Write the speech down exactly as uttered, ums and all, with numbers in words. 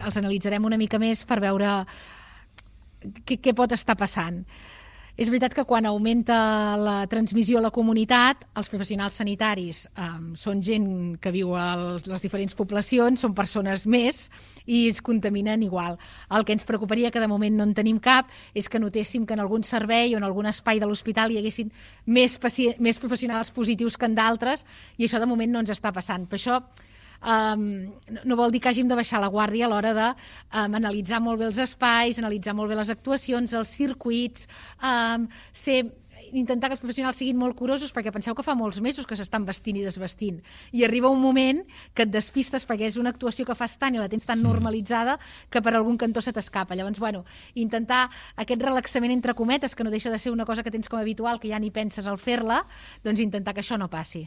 Els analitzarem una mica més per veure què, què pot estar passant. És veritat que quan augmenta la transmissió a la comunitat, els professionals sanitaris eh, són gent que viu a les diferents poblacions, són persones més i es contaminen igual. El que ens preocuparia, que de moment no en tenim cap, és que notéssim que en algun servei o en algun espai de l'hospital hi haguessin més, més professionals positius que en d'altres, i això de moment no ens està passant. Per això Um, no vol dir que hàgim de baixar la guàrdia a l'hora de um, analitzar molt bé els espais, analitzar molt bé les actuacions, els circuits, um, ser, intentar que els professionals siguin molt curosos, perquè penseu que fa molts mesos que s'estan vestint i desvestint, i arriba un moment que et despistes perquè és una actuació que fas tant i la tens tan normalitzada que per algun cantó se t'escapa. Llavors, bueno, intentar aquest relaxament entre cometes, que no deixa de ser una cosa que tens com a habitual, que ja ni penses al fer-la, doncs intentar que això no passi.